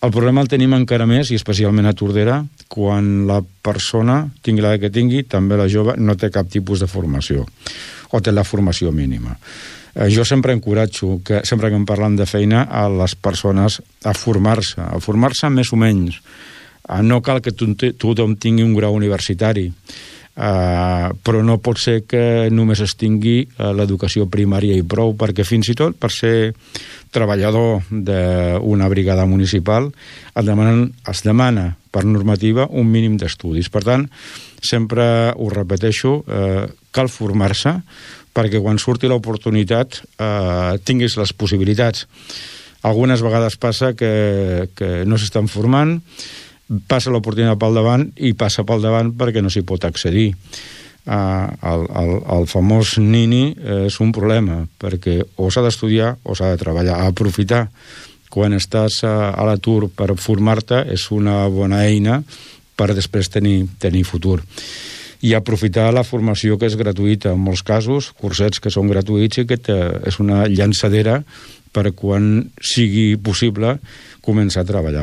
El problema el tenim encara més, i especialment a Tordera, quan la persona, tingui l'edat que tingui, també la jove, no té cap tipus de formació, o té la formació mínima. Jo sempre encoratjo, sempre que em parlen de feina, a les persones a formar-se més o menys. No cal que tothom tingui un grau universitari, però no pot ser que només es tingui l'educació primària i prou, perquè fins i tot per ser treballador d'una brigada municipal es demana per normativa un mínim d'estudis. Per tant, sempre ho repeteixo, cal formar-se perquè quan surti l'oportunitat tinguis les possibilitats. Algunes vegades passa que no s'estan formant, passa l'oportunitat pel davant i passa pel davant perquè no s'hi pot accedir. El famós nini és un problema, perquè o s'ha d'estudiar o s'ha de treballar. Aprofitar quan estàs a l'atur per formar-te és una bona eina per després tenir futur. I aprofitar la formació que és gratuïta, en molts casos, cursets que són gratuïts i que és una llançadera per quan sigui possible començar a treballar.